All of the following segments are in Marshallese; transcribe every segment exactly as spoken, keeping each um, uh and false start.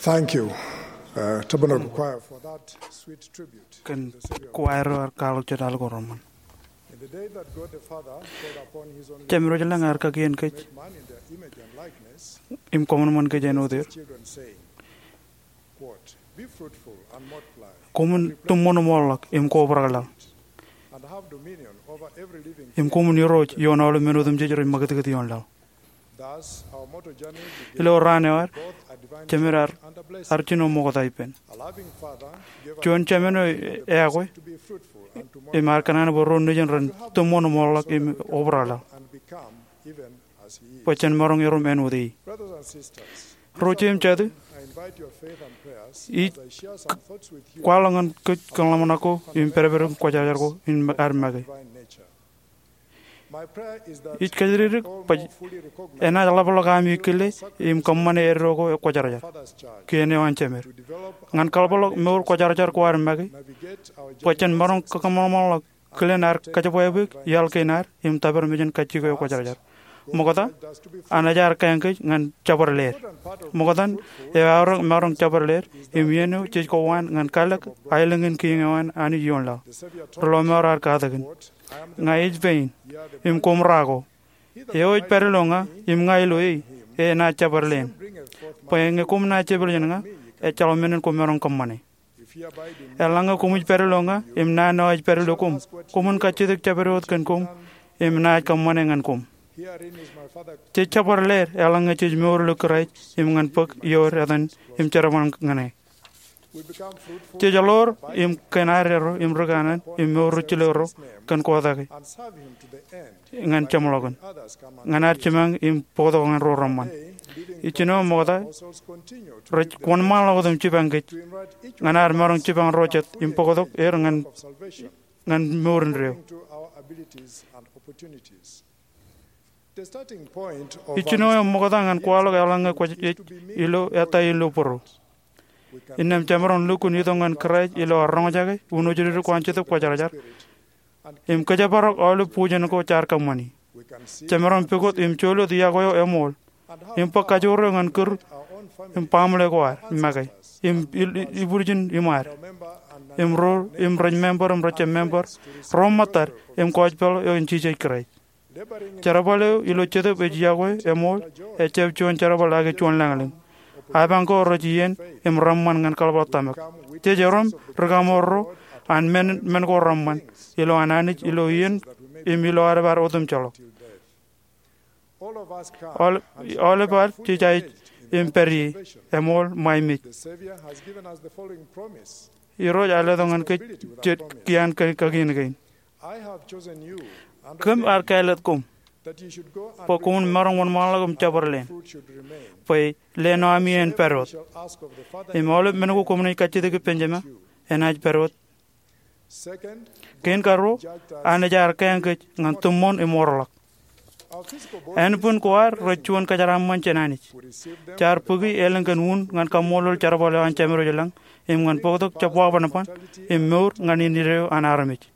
Thank you, uh, Tabernacle Choir, for that sweet tribute. Kōn kwaer eo ear kwaḷọk jota ko reṃṃan. In the day that God the Father called upon his only Jemem ro ilañ ear kakien kōj, man in their image and likeness, im kōṃanṃan kōj āinwōt er. Children saying, quote, "Be fruitful and multiply, koṃwin tiṃṃoṇ im orḷọk im kobrak laḷ, and have dominion over every living thing, im koṃwin irooj ioon aolep men otemjej rej ṃakūtkūt ioon laḷ." Ilo raan eo ad, Jemed ear, ear jino ṃokta ippān. Juon Jemān eo eakwe, im ear kōṇaan bwe ro nejin ren tiṃṃoṇ im orḷọk im obrak laḷ, bwe jen maroñ erom āinwōt e. Ro jeiū im jatū, ij kwaḷọk ñan kōj kōḷmānḷọk ko im pād ippān kwōjarjar ko im ad make. Ij kōjatdikdik bwe enaaj ḷapḷọk ami kile im kōṃṃane eddo ko kwōjarjar, kien eo an Jemed, ñan kaḷapḷọk mour kwōjarjar ko ad make, bwe jen maroñ kōṃanṃanḷọk kilen ad kōjebwābwe iaḷ kein ad im tōpar mejān kajjitōk eo kwōjarjar. Ṃokta an ejaar kaeñ kōj ñan jabdewōt leer. Ṃokta eo eaorōk maroñ jabdewōt leer, im iien eo jej kowaan ñan kalōk aelōñ in kiiñ eo an Anij ioon laḷ. Ri-lọmọọr ear katakin, "Ña ij pein, im koṃ ra ko. Eo ej pād ilo ña, im ña ilo e, enaaj jabdewōt lein. Bwe ñe koṃ naaj jepel jān ña, ejjeḷọk men in koṃ maroñ kōṃṃane. Eḷaññe koṃij pād ilo ña, im naan eo ij pād ilo koṃ, koṃwin kajjitōk jabdewōt kōn koṃ, im naaj kōṃṃane ñan koṃ." Jej jabdewōt leer eḷaññe jej mour ilo Kraist im ñan bōk ioer etan im jerbal ñan e. Jej ḷoor im kōn ad erro im ri kanaan im mour ri jilōk erro kōn kotake ñan jeṃḷọkin, ñan ad jiṃañ im bōktok ñan ro reṃṃan. Ijjino ṃokta rej wōnṃaanḷọk wōt im jipañ kōj ñan ad maroñ jipañ ro jet im bōktok er ñan, ñan mour indeeo. Ijjino eo ṃokta ñan kwaḷọk eḷaññe kwōj ej ilo ettā ilo bōro. Innām jemaroñ lukkuun itok ñan Kraist ilo ad roñjake, unojdikdik ko an Jetōb Kwōjarjar, im kōjparok aolep bujen ko jaar kōṃṃani. Jemaroñ pukot im jolōt iọkwe eo eṃool, im bōk kajoor eo ñan kūr im baaṃle ko ad make, im il-, ibwiljin iṃaad, im ro, im rej member im rejjab member, ro ṃōttad im gospel eo an Jisōs Kraist. Jerbal eo ilo Jetōb ej iọkwe eṃool, ejjab juon jerbal ake juon lañlōñ. Apañ ko rej iien im reṃṃan ñan kaḷapḷọk tōmak. Jej erom ri-kaṃoorro an men, men ko reṃṃan, ilo an Anij, ilo iien, im ilo aolep ad otemjejḷọk. Aolep, aolep ad jej aikuj im pād ie, eṃool ṃae mej. Irooj ear letok ñan kōj jet kiaan kakien kein. Kōm ar kāālōt koṃ bwe koṃwin maroñ wōnṃaanḷọk im jabdewōt lein, bwe leen eo ami en pād wōt. Im aolep men ko koṃ naaj kajjitōk ippān Jema, enaaj pād wōt. Kein karuo, Anij ear kāāñ kōj ñan tiṃṃoṇ im orḷọk. Ānbwin ko ad rej juon kōjeraaṃṃan jān Anij. Jaar bōki elōñ kōn un ñan kaṃṃoolol jerbal eo an Jemedwōj ilañ, im ñan bōktok jab wabanban, im mour ñan indeeo an armej.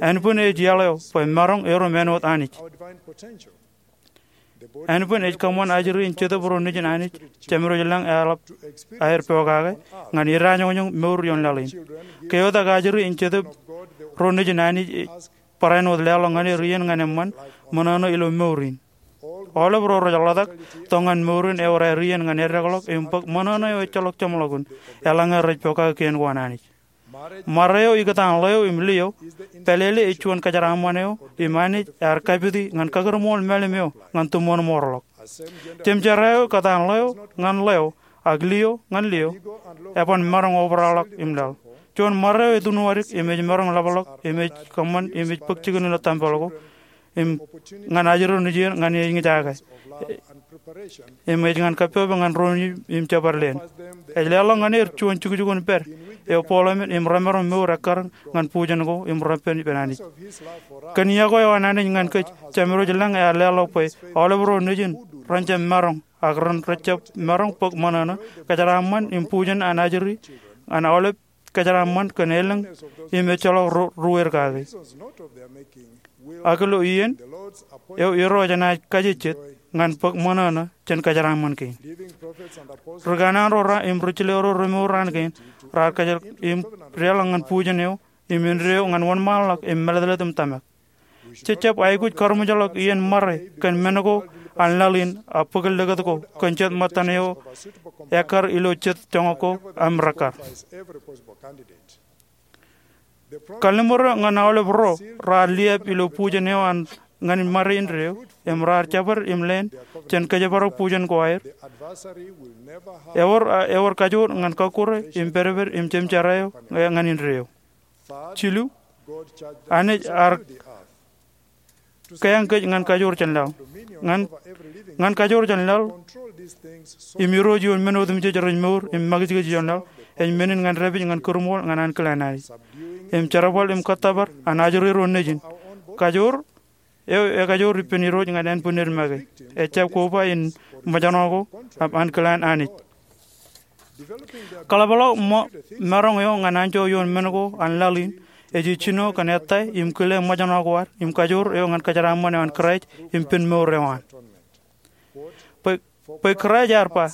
Ānbwin ej iaḷ eo bwe maroñ erom āinwōt Anij. Ānbwin ej kōṃṃan ajri in Jetōb ro nejin Anij, Jemedwōj ilañ eḷap aer pokake, ñan idajoñjoñ mour ioon laḷ in. Ke eotak ajri in Jetōb ro nejin Anij, barāinwōt leḷọk ñan er iien ñan eṃṃan ṃōṇōṇō ilo mour in. Aolep ro rej ḷotak tok ñan mour in ewōr aer iien ñan eddekḷọk im bōk ṃōṇōṇō eo ejjeḷọk jeṃḷọkin, eḷaññe rej pokake kien ko an Anij. Ṃare eo ikōtaan ḷeo im lio, pālele ej juon kōjeraaṃṃan eo im Anij ear kapiti ñan kakūrmool mālim eo ñan tiṃṃoṇ im orḷọk. Jemjerā eo kōtaan ḷeo ñan ḷeo, ak lio ñan lio, eban maroñ obraḷọk im laḷ. Juon ṃare eo etūnwadik im ej maroñ ḷapḷọk im ej kōṃṃan im ej bōk jikin ilo tempel ko im ñan ajri nejien ñan ej ñe jake im ej ñan kappok ñan ro nejin im jabdewōt lein. Ej leḷọk ñan er juon jukjukun pād eo bōkḷọk men im remaroñ mour ekkar ñan bujen ko im repen ippān Anij. Kōn iọkwe eo an Anij ñan kōj, Jemedwōj ilañ ear leḷọk bwe aolep ro nejin ren jab maroñ ak ren rejjab maroñ bōk ṃōṇōṇō, kōjeraaṃṃan im bujen an ajri an aolep kōjeraaṃṃan kōn elōñ im ejjeḷọk ro ruweir kake. Ak ilo iien eo Irooj enaaj kajejjet ñan bōk ṃōṇōṇō jān kōjeraaṃṃan kein. Ri kanaan ro im ri jilōk ro remour raan kein raar kōjjeḷọk im deḷọñ ñan bujen eo im indeeo ñan wōnṃaanḷọk im mālōtlōt im tōmak. Jej jab aikuj karuṃwijḷọk iien ṃare kōn men ko an laḷ in ak bōk likūt ko kōn jet ṃōttan eo ekkar ilo jet joñak ko im rekkar. Kalliṃur eo ñan aolep ro raar liab ilo bujen eo an ñan ṃare indeeo im raar jabdewōt im leen jān kōjparok bujen ko aer. Ewōr, ewōr kajoor ñan kọkkure im pedped im jemjerā eo ñan indeeo. Jilu, Anij ear kōjeañ kōj ñan kajoor jān laḷ. Ñan, ñan kajoor jān laḷ im irooj ioon men otemjej rej mour im makijkij ioon laḷ ej men in ñan dāpij ñan kūrṃool ñan ankilaan Anij im jerbal im kōttōpar an ajri ro nejin. Kajoor eo ekajoor ippān Irooj ñan ānbwinned make. Ejab koba in ṃōjṇọ ko im ankilaan Anij. Kaḷapḷọk ṃō maroñ eo ñan anjọ ioon men ko an laḷ in ej ijjino kōn ettā im kile ṃōjṇọ ko ad im kajoor eo ñan kōjeraaṃṃan eo an Kraist im pen mour eo an. Bwe, bwe Kraist ear ba,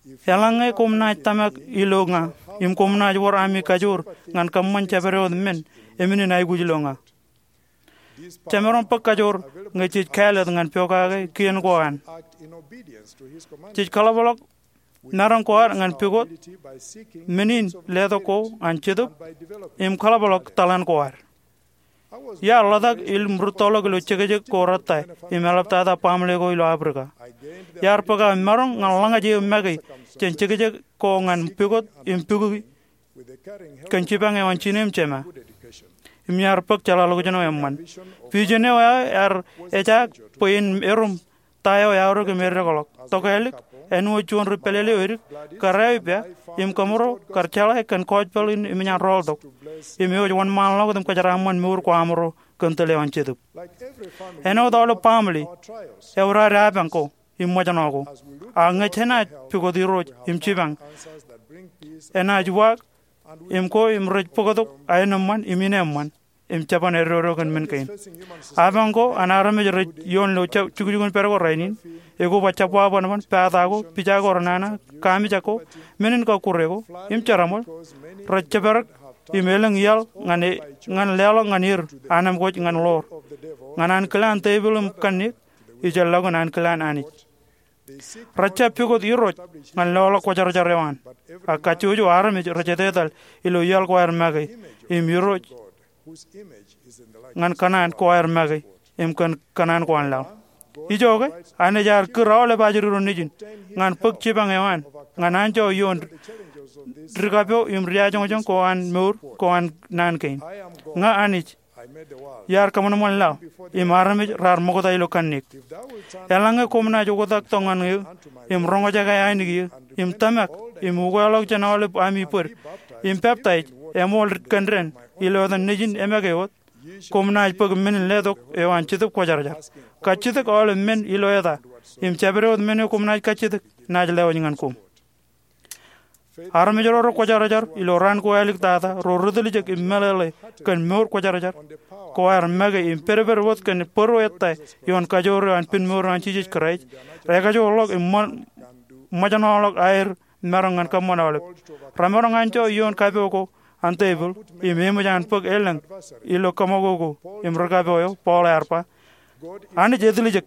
eḷaññe koṃ naaj tōmak ilo ña im koṃ naaj wōr ami kajoor ñan kōṃṃan jabdewōt men, eṃṃan in aikuj ilo ña. Jemaroñ bōk kajoor ñe jej kāālōt ñan pokake kien ko an. Jej kaḷapḷọk maroñ ko ad ñan pukot men in letok ko an Jetōb im kaḷapḷọk taḷan ko ad. Iar ḷotak im rūttoḷọk ilo jekjek ko rettā im eḷaptata baaṃle ko ilo Aprika. Iar bōk aō maroñ ñan ḷōñaj eo make jān jekjek ko ñan pukot im pukwi kōn jipañ eo an jinen jema. Im iar bōk jeḷāḷọkjeṇ eo eṃṃan. Vision eo aō ear ejaak bwe en erom ta eo eaorōk im eddekḷọk. Tokālik, āinwōt juon ri pālele eo edik, kar eaipā im kōmro kar jeḷā kōn gospel in eṃōj an rọọltok im ewōj wōnṃaanḷọk wōt im kōjeraaṃṃan mour ko aṃro kōn tōl eo an Jetōb. Āinwōt aolep baaṃle, ewōr ad apañ ko im ṃōjṇọ ko. Ak ñe jenaaj pukot Irooj im jipañ, enaaj uwaak im ko im rej bōktok aenōṃṃan im ineeṃṃan im jeban eddodo kōn men kein. Apañ ko an armej rej ioon ilo jukjukun pād ko rainin, ekoba jabwaabwenaban, pata ko, pija ko renana, kamijak ko, men in kọkkure ko im jeraṃōl, rej jepdek im elōñ iaḷ ñan e, ñan leḷọk ñan er anemkwōj ñan ḷoor, ñan ankilaan tepil im kanniōk, ijellọkin ankilaan Anij. Rej jab pukot Irooj ñan loḷọk kwōjarjar eo an. Ak kajjojo armej rej etetal ilo iaḷ ko aer make im Irooj ñan kōṇaan ko aer make im kōn kōṇaan ko an laḷ. Ijoke, Anij ear kūr aolep ajri ro nejin ñan bōk jipañ eo an ñan anjọ ioon dikapeo im diajoñjoñ ko an mour ko an naan kein. Ña Anij, iar kōṃanṃan laḷ im armej raar ṃokta ilo kanniōk. Eḷaññe koṃ naaj oktak tok ñan eō im roñjake ainikieō im tōmak im ukeḷọk jān aolep ami bōd im peptaij eṃool kōn dān ilo etan Nejin emake wōt, koṃ naaj bōk men in letok eo an Jetōb Kwōjarjar. Kajjitōk aolep men ilo eta im jabdewōt men eo koṃ naaj kajjitōk naaj lewōj ñan koṃ. Armej ro rekwōjarjar ilo raan ko āliktata ro ri tiljek im meḷeḷe kōn mour kwōjarjar ko aer make im pedped wōt kōn bōro ettā ioon kajoor eo an pen mour eo an Jisōs Kraist, rekajoorḷọk im ṃō, ṃōjṇọḷọk aer maroñ ñan kōṃṃan aolep. Remaroñ anjọ ioon kapo ko an tepil im eṃōj an bōk elōñ ilo kōṃṃan ko im ri kapo eo. Paul ear ba, Anij etiljek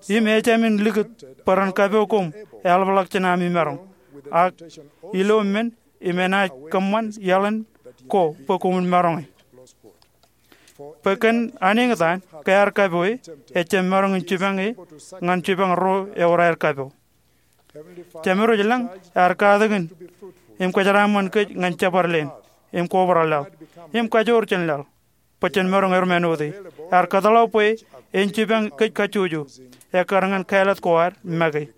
im ejāmin likūt bwe ren kapo koṃ eḷapḷọk jān ami maroñ, ak ilo men im enaaj kōṃṃan iaḷan ko bwe koṃwin maroñe. Bwe kōn aneeñtaan ke ear kapoe, ejjab maroñ in jipañe ñan jipañ ro ewōr aer kapo. Jemedwōj ilañ ear katakin im kōjeraaṃṃan kōj ñan jabdewōt leen im kobrak laḷ im kajoor jān laḷ bwe jen maroñ erom āinwōt e. Ear kōtḷọk bwe en jipañ kōj kajjojo ekkar ñan kāālōt ko ad make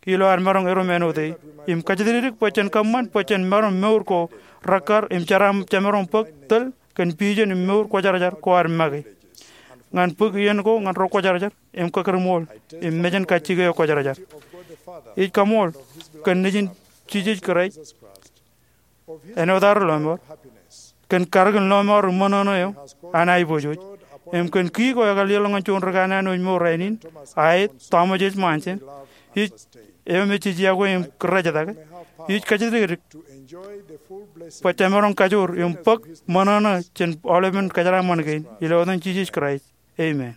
ilo ad maroñ erom āinwōt e im kajjitōk bwe jen kōṃṃan bwe jen maroñ mour ko rekkar im jemaroñ bōk tōl kōn vision im mour kwōjarjar ko ad make. Ñan bōk iien ko ñan ro kwōjarjar im kakūrṃool im mejān kajjike eo kwōjarjar. Ij kaṃool kōn Nejin Jisōs Kraist āinwōt ad ri lọmọọr, kōn karōkin lọmọọr im ṃōṇōṇō eo an aiboojoj, im kōn ki ko ekar leḷọk ñan juon ri kanaan wōj mour rainin, aet Thomas S. Monson, ij eo me jej iọkwe im kōrrejetake, ij kajjitōk edik bwe jemaroñ kajoor im bōk ṃōṇōṇō jān aolepen kōjeraaṃṃan kein. Ilo etan Jisōs Kraist, amen.